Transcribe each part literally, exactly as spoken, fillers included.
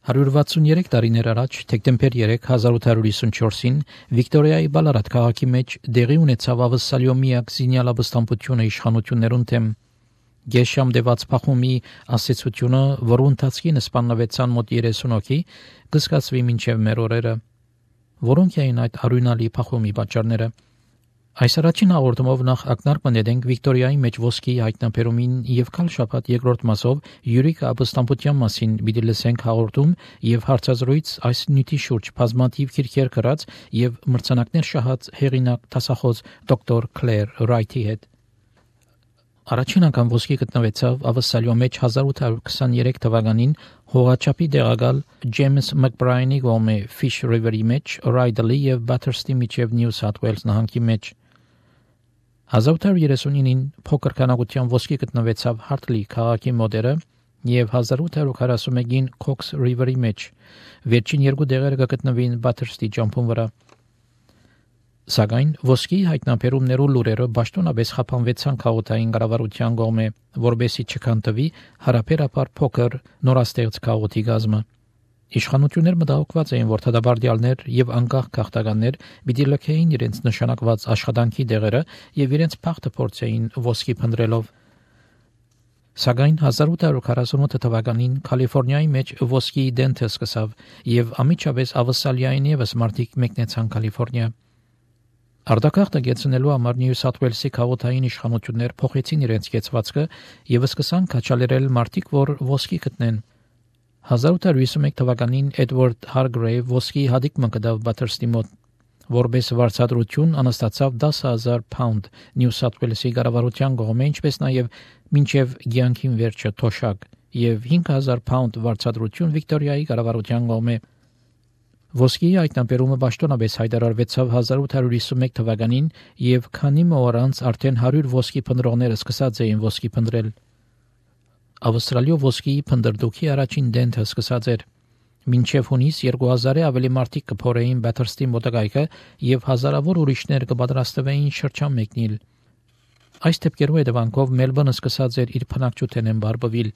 one hundred sixty-three տարիներ առաջ դեկտեմբեր երեք հազար ութ հարյուր հիսունչորսին Վիկտորիայի Բալարատ քաղաքի մեջ դեղի ունեցավ ավսալյո միակ զինյալաբստամբությունը իշխանություններուն թեմ։ Գեշամ դեված փախումի ասեցությունը, որու ընթացքին սպաննվեցան մոտ երեսուն հոգի, կզգացվի մինչև մեր օրերը։ Որոնք էին այդ արյունալի փախումի պատճառները։ Այս առաջին հաղորդումով նախ ակնարկ մնետենք Վիկտորիայի մեջ ոսկի հայտնաբերումին եւ քալ շաբաթ երկրորդ մասով յուրիկ ապստամբության մասին պիտի լսենք հաղորդում եւ հարցազրույց այս նյութի շուրջ բազմաթիվ քիրքեր գրած եւ մրցանակներ շահած հեղինակ դասախոս դոկտոր Քլեր Ռայթի հետ։ Առաջին անգամ ոսկի գտնվեցավ ավսալյո մեջ հազար ութ հարյուր քսաներեք թվականին հողաչափի դեղակալ Ջեյմս Մակբրայանի գոմե Fish River-ի մեջ Ռայդլի եւ Բաթերստի միջև Նյու Սաութ Ուելս նահանգի մեջ։ հազար ութ հարյուր երեսունինին փոքր քանակության ոսկի գտնվեցավ Հարթլի քաղաքի մոդերը եւ հազար ութ հարյուր քառասունմեկին Cox River-ի մեջ։ Վերջին երկու դեղերը կգտնվին Բաթերստի ջամփուն վրա։ Սակայն ոսկի հայտնաբերումներու լուրերը պաշտոնապես խափանվեցան քաղաքային կառավարության կողմէ, որբեսի չքանտվի հարաբերաբար փոքր նորաստեղծ քաղաքի գազմը։ Իշխանություններ մտահոգված էին, որ թադաբարդյալներ եւ անկախ քաղաքականներ պիտի լքեին իրենց նշանակված աշխատանքի դեղերը եւ իրենց փախտը փորձեին ոսկի փնտրելով։ Սակայն հազար ութ հարյուր քառասունութ թվականին Կալիֆոռնիայի մեջ ոսկի դենթը սկսավ եւ ամիջապես ավսալիային եւս մարդիկ մեկնեցան Կալիֆոռնիա։ Արտակարգը գեցնելու համար Նյու Սաութ Ուելսի քաղաքային իշխանություններ փոխեցին իրենց կեցվածքը եւ սկսան քաչալերել մարդիկ, որ ոսկի գտնեն։ հազար ութ հարյուր հիսունմեկ թվականին Էդվարդ Հարգրեյվ ոսկի հադիկ մկդավ Բաթերստի մոտ, որպես վարձատրություն անստացավ դասը հազար փաունդ Նյու Սաութ Ուելսի կառավարության կողմէ, ինչպես նաեւ մինչև գյանքին վերջը թոշակ եւ հինգ հազար փաունդ վարձատրություն Վիկտորիայի կառավարության կողմէ։ Ոսկի հայտնաբերումը պաշտոնապես հայտարարվեցավ հազար ութ հարյուր հիսունմեկ թվականին եւ քանի օր անց արդեն հարյուր ոսկի փնտրողներ սկսած էին ոսկի փնտրել։ Ավստրալիո ոսկի փնտրդուքի առաջին դենթը սկսած էր։ Մինչև հունիս երկու հազարի ավելի մարդիկ կփորեին Բաթերստի մոտակայքը եւ հազարավոր ուրիշներ կպատրաստվեին շրջան մեկնել։ Այս դեպքերու հետևանքով Մելբուրնը սկսած էր իր բնակչութենեն բարբվել,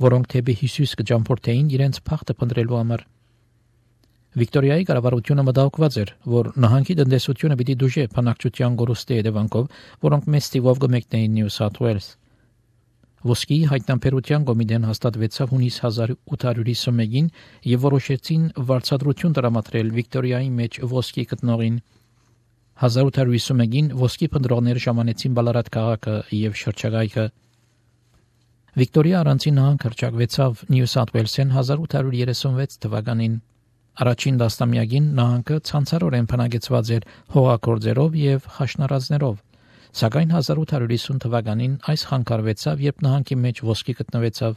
որոնք թեպի Հիսուս կջամփորդեին իրենց փախտը փնտրելու համար։ Վիկտորիայի կառավարությունը մտահոգված էր, որ նահանգի տնտեսությունը պիտի դուժե բնակչության գորուստի հետևանքով, որոնք մեծ թիվով կմեկնեին Նյու Սաութ Ուելս։ Ոսկի հայտնաբերության կոմիտեն հաստատվեցավ հունիս հազար ութ հարյուր հիսունմեկին եւ որոշեցին վարձատրություն տրամադրել Վիկտորիայի մեջ ոսկի գտնողին։ հազար ութ հարյուր հիսունմեկին ոսկի փնտրողները ժամանեցին Բալարատ քաղաքը եւ շրջակայքը։ Վիկտորիա առանցին նահանգ հռչակվեցավ Նյու Սաութ Ուելսեն հազար ութ հարյուր երեսունվեց թվականին։ Առաջին դաստամյակին նահանգը ցանցարորեն բնակեցված էր հողագործերով եւ խաշնարածներով, սակայն հազար ութ հարյուր հիսուն թվականին այս խանգարվեցավ, երբ նահանգի մեջ ոսկի գտնվեցավ։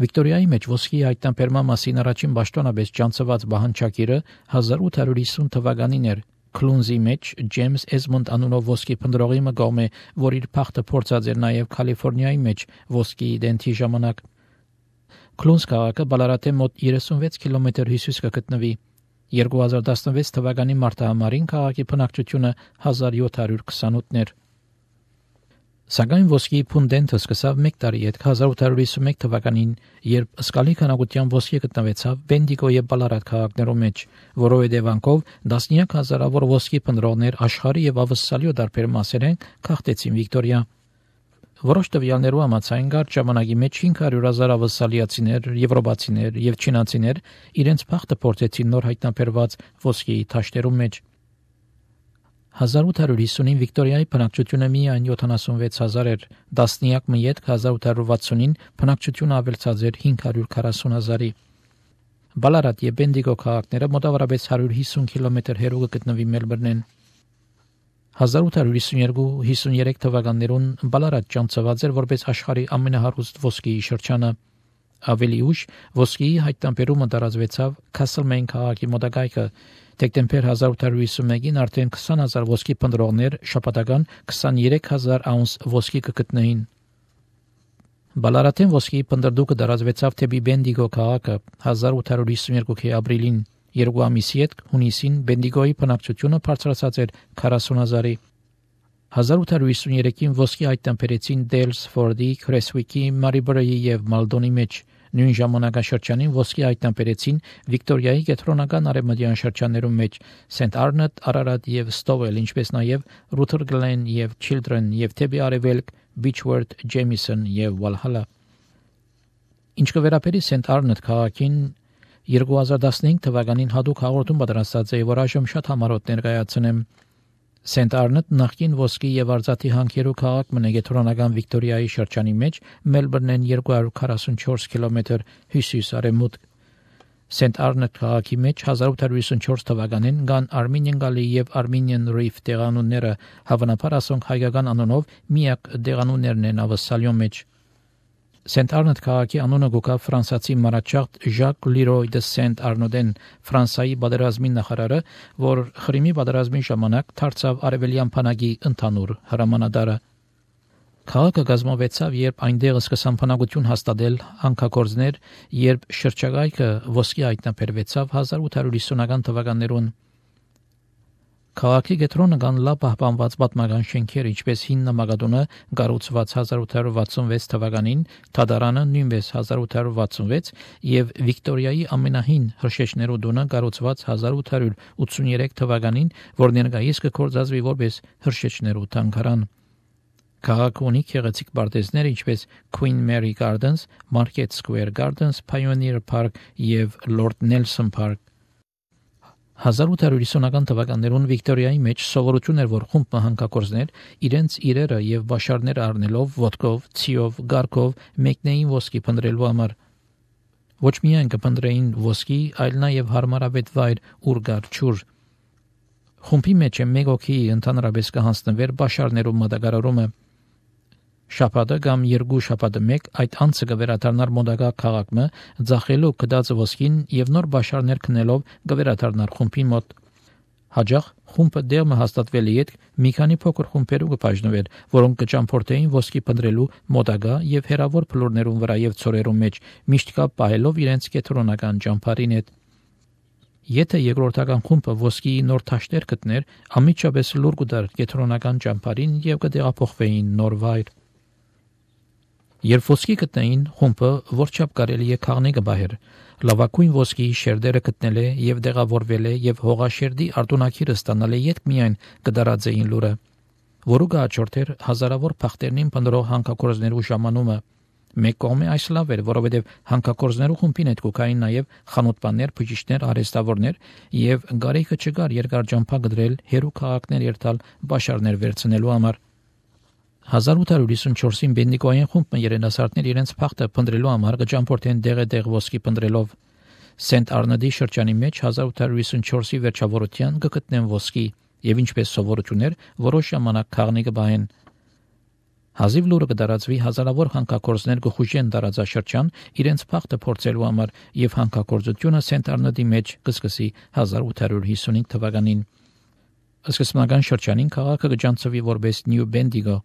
Վիկտորիայի մեջ ոսկի հայտնաբերման մասին առաջին պաշտոնապես ջանցված բանջակիրը հազար ութ հարյուր հիսուն թվականին էր Քլունզի մեջ Ջեյմս Էզմոնդ անունով ոսկի փնտրողի մգոմե, որ իր փախտը փորձած էր նաեւ Կալիֆոռնիայի մեջ ոսկի դենթի ժամանակ։ Քլունզ քաղաքը Բալարատե մոտ երեսունվեց կիլոմետր հյուսիս կգտնվի։ երկու հազար տասնվեց թվականի մարտահամարին քաղաքի բնակչությունը հազար յոթ հարյուր քսանութն էր։ Սակայն ոսկի փունդենթը սկսավ մեկ տարի հետ հազար ութ հարյուր հիսունմեկ թվականին, երբ սկալի քանակության ոսկի գտնվեցավ Բենդիգո եւ Բալարատ քաղաքներում մեջ, որով հետևանքով տասնյակ հազարավոր ոսկի փնտրողներ աշխարհի եւ ավսալիո տարբեր մասերեն քաղտեցին Վիկտորիա։ Որոշ տվյալներու համաձայն կարճ ժամանակի մեջ հինգ հարյուր հազար ավսալիացիներ, եվրոպացիներ եւ չինացիներ իրենց փախտը փորձեցին նոր հայտնաբերված ոսկի թաշտերու մեջ։ հազար ութ հարյուր հիսունին Վիկտորիայի բնակչությունը միայն յոթանասունվեց հազար էր, տասնյակ մյետ հազար ութ հարյուր վաթսունին բնակչությունը ավելցած էր հինգ հարյուր քառասուն հազարի։ Բալարատ եւ Բենդիգո քաղաքները մոտավորապես հարյուր հիսուն կիլոմետր հեռու գտնվի Մելբուրնեն։ հազար ութ հարյուր հիսունյոթ հիսունյոթ թվականներուն Բալարատ ջանցված էր որպես աշխարհի ամենահարուստ ոսկի շրջանը։ Ավելի ուշ ոսկի հայտնաբերումը տարածվեցավ Քասլմեյն քաղաքի մոտակայքը։ Դեկտեմբեր հազար ութ հարյուր հիսունմեկին արդեն քսան հազար ոսկի փնտրողներ շաբաթական քսաներեք հազար աունս ոսկի կգտնեին։ Բալարատեն ոսկի փնտրդուկը տարածվեցավ թեպի Բենդիգո քաղաքը հազար ութ հարյուր հիսունյոթի ապրիլին։ Երկու ամիսի հետ հունիսին Բենդիգոյի բնակչությունը բարձրացած էր քառասուն հազարի։ հազար ութ հարյուր հիսուներեքին ոսկի հայտնաբերեցին Դեյլսֆորդի, Քրեսվիկի, Մարիբրեի եւ Մալդոնի մեջ, Նույն ժամանակաշրջանին ոսկի հայտնաբերեցին Վիկտորիայի կենտրոնական արևմտյան շրջաններում մեջ Սենտ Արնոտ, Արարատ եւ Ստովել, ինչպես նաեւ Ռութեր Գլեն եւ Չիլդրեն եւ թեպի արևելք Բիչվորթ, Ջեմիսոն եւ Վալհալա։ Ինչ կվերապերի Սենտ Արնոտ քաղաքին երկու հազար տասնհինգ թվականին հատուկ հաղորդում պատրաստած է, որ այժմ շատ համառոտ ներկայացնեմ։ Սենտ Արնոտ նախկին ոսկի եւ արծաթի հանքերու քաղաք մնա կենտրոնական Վիկտորիայի շրջանի մեջ Մելբուրնեն երկու հարյուր քառասունչորս կիլոմետր հյուսիս-արևմուտք։ Սենտ Արնոտ քաղաքի մեջ հազար ութ հարյուր հիսունչորս թվականին կան Armenian Gully եւ Armenian Reef տեղանունները, հավանաբար ասոնք հայկական անունով միակ տեղանուններն են ավսալյո մեջ։ Սենտ Արնոտ քաղաքի անունը գոկա ֆրանսիացի մարաչաղտ Ժակ Լիրոյ դե Սենտ Արնոդեն, Ֆրանսիայի պատերազմի նախարարը, որ Խրիմի պատերազմի ժամանակ դարձավ արևելյան բանակի ընդհանուր հրամանատարը։ Քաղաքը կազմվեցավ, երբ այնտեղ սկսան բնակություն հաստատել հանքագործներ, երբ շրջակայքը ոսկի հայտնաբերվեցավ հազար ութ հարյուր հիսունական թվականներուն։ Քաղաքի կենտրոնը կան լավ պահպանված պատմական շենքեր, ինչպես հին նամակատունը կառուցված հազար ութ հարյուր վաթսունվեց թվականին, Թադարանը նույնպես հազար ութ հարյուր վաթսունվեց եւ Վիկտորիայի ամենահին հրշեջներու տունը կառուցված հազար ութ հարյուր ութսուներեք թվականին, որ ներկայիս կգործածվի որպես հրշեջներու թանգարան։ Քաղաքը ունի գեղեցիկ պարտեզներ, ինչպես Queen Mary Gardens, Market Square Gardens, Pioneer Park եւ Lord Nelson Park։ հազար ութ հարյուր հիսունական թվականներուն Վիկտորիայի մեջ սովորություն էր, որ խումբ հանքագործներ իրենց իրերը եւ բաշարները առնելով ոտքով, ցիով, գարկով մեկնեին ոսկի փնտրելու համար։ Ոչ միայն կփնտրեին ոսկի, այլ նաեւ հարմարավետ վայր ուր գար ջուր։ Խումբի մեջ մեկ օքի ընդհանրապես կհանձնվեր բաշարներու մատակարարումը։ Շաբաթը կամ երկու շաբաթը մեկ այդ անցը կվերադառնար մոդագա քաղաքը, ձախելու կդած ոսկին եւ նոր բաշարներ քնելով կվերադառնար խումբի մոտ։ Հաջող խումբը դերմը հաստատվելի հետ մի քանի փոքր խումբերու կբաժնվեր, որոնք կճամփորդեին ոսկի փնտրելու մոդագա եւ հերավոր փլուրներուն վրա եւ ծորերու մեջ, միշտ կապ պահելով իրենց կենտրոնական ճամփարին հետ։ Եթե երկրորդական խումբը ոսկի նոր թաշտեր գտներ, ամիջապես լուր կդար կենտրոնական ճամփարին եւ կտեղափոխվեին նոր վայր։ Երբ ոսկի գտնեին, խումբը որչափ կարելի է քաղնի կբահեր, լավակույն ոսկի շերտերը գտնել է եւ դեղավորվել է եւ հողաշերտի արտունակիրը ստանալ է յետ միայն կդարածեին լուրը, որը գաճորտեր հազարավոր փախտերնին փնտրող հանքագործներու ժամանումը։ Մեկ կողմը այս լավ էր, որովհետեւ հանքագործներու խումբին հետ կուքային նաեւ խանութբաններ, բժիշկներ, արհեստավորներ եւ գարեքը չկար երկար ճամփա գդրել հերու քաղաքներ երթալ բաշարներ վերցնելու համար։ հազար ութ հարյուր հիսունչորսին բենդիկոյան խումբը երիտասարդներ իրենց փախտը փնտրելու համար կճամփորդեն դեղը-դեղ ոսկի փնտրելով։ Սենտ Արնոդի շրջանի մեջ հազար ութ հարյուր հիսունչորսի վերջավորության կգտնեն ոսկի եւ ինչպես սովորություն էր, որոշ ժամանակ քաղնի կբահեն։ Հազիվ լուրը կդարածվի հազարավոր հանքագործներ կխուժեն տարածաշրջան իրենց փախտը փորձելու համար եւ հանքագործությունը Սենտ Արնոդի մեջ կսկսի հազար ութ հարյուր հիսունհինգ թվականին։ Սկզբնական շրջանին քաղաքը կջանցվի որպես New Bendigo։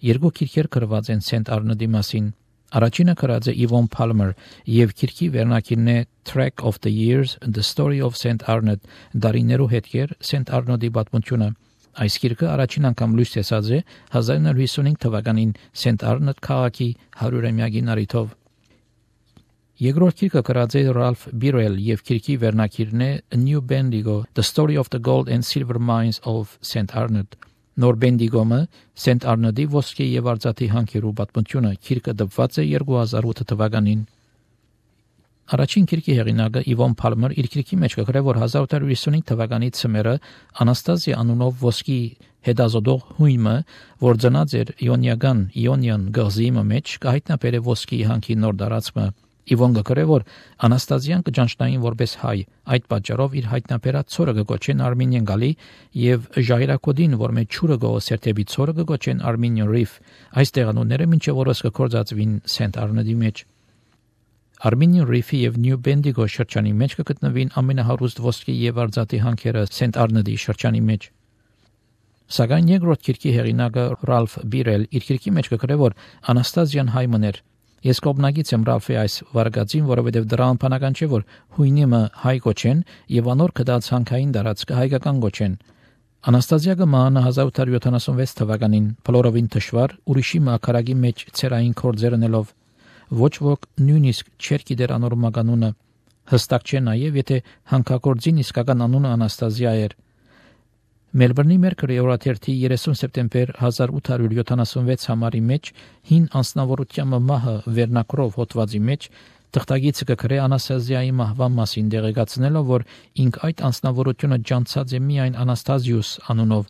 Երկու քիրքեր գրված են Սենտ Արնոդի մասին։ Առաջինը գրած է Yvonne Palmer եւ քիրքի վերնակիրն է Track of the Years: The Story of Saint Arnaud, դարիներու հետքեր Սենտ Արնոդի պատմությունը։ Այս քիրքը առաջին անգամ լույս տեսած է հազար նոր հիսունհինգ թվականին Սենտ Արնոդ քաղաքի հարյուրամյակին առիթով։ Երկրորդ քիրքը գրած է Ralph Birrell եւ քիրքի վերնակիրն է New Bendigo: The Story of the Gold and Silver Mines of Saint Arnaud։ Նոր Բենդիգոմը Սենտ Արնոդի ոսկի եւ արծաթի հանքերու պատմությունը քիրքը դպված է երկու հազար ութ թվականին։ Առաջին քիրքի հեղինակը Yvonne Palmer իր քիրքի մեջ կգրե, որ հազար ութ հարյուր հիսունհինգ թվականի ցմերը Անաստազիա անունով ոսկի հետազոտող հույմը, որ ծնած էր Իոնիական Իոնիան գազի մեջ, կհայտնաբերե ոսկի հանքի նոր դարածումը։ Իվոն գկրե, որ Անաստազիան կճանչնային որպես հայ, այդ պատճառով իր հայտնաբերած ցորը կգոչեն Armenian Gully եւ ժայռակոդին, որ մեջ ճուրը գոսերտեբի ցորը կգոչեն Armenian Reef։ Այս տեղանունները մինչև օրս կգործածվին Սենտ Արնոդի մեջ։ Armenian Reef-ի եւ New Bendigo շրջանի մեջ կգտնվին ամենահարուստ ոսկի եւ արծաթի հանքերը Սենտ Արնոդի շրջանի մեջ։ Սակայն երկրորդ քիրքի հեղինակը Ralph Birrell իր քիրքի մեջ կգրե, որ Անաստազիան հայ մներ։ Ես կողմնակից եմ Ռալֆի այս վարկածին, որովհետև դրա անփանական չէ, որ հույնիմը հայ գոչեն եւ անոր կդած հանքային դարածքը հայկական գոչեն։ Անաստազիակը մահանա հազար ութ հարյուր յոթանասունվեց թվականին, փլորովին թշվար, ուրիշի մակարագի մեջ ցերային կորձեր ունելով։ ոչ ոք նույնիսկ չէր գիտեր անոր մականունը, հստակ չէ նաև, եթե հանքագործին իսկական անունը Անաստազիա էր։ Մելբուրնի Մերկուրի օրաթերթի երեսուն սեպտեմբեր հազար ութ հարյուր յոթանասունվեց համարի մեջ հին անձնավորության մահը վերնակրով հոդվածի մեջ թղթագիծը կգրե Անաստազիայի մահվան մասին դեղեկացնելով, որ ինք այդ անձնավորությունը ջանցած է միայն Անաստազիուս անունով,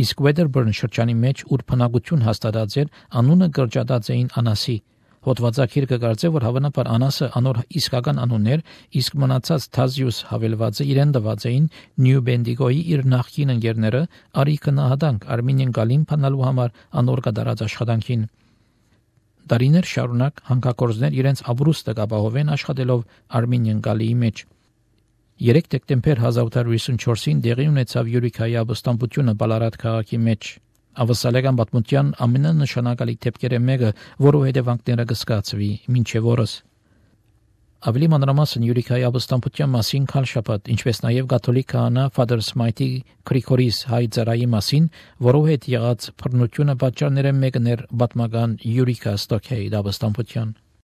իսկ Wedderburn շրջանի մեջ ուր բնակություն հաստատած էր, անունը կրճատած էին Անասի։ Հոդվածագիրը կգարձե, որ հավանաբար Անասը անոր իսկական անուն էր, իսկ մնացած Թազիուս հավելվածը իրեն տված էին Նյու Բենդիգոյի իր նախկին ընկերները Արիքը նահատանք Արմինիան գալին փնալու համար անոր կատարած աշխատանքին։ Դարիներ շարունակ հանքագործներ իրենց ապրուստը կապահովեն աշխատելով Արմինիան գալիի մեջ։ երեք դեկտեմբեր հազար ութ հարյուր հիսունչորսին դեղի ունեցավ Յուրիքայի ապստամբությունը Բալարատ քաղաքի մեջ։ Ավասալական պատմության ամենանշանակալի դեպքերը մեկը, որու հետևանքները կսկացվի մինչև օրս։ Ավելի մանրամասն Յուրիքայի ապստամբության մասին քան շաբաթ, ինչպես նաև կաթոլիկ քահանա Father Smythe Գրիգորիս հայ ծառայի մասին, որով հետ եղած բռնությունը պատճառները մեկն էր պատմական Յուրիքա Ստոքեի ապստամբության։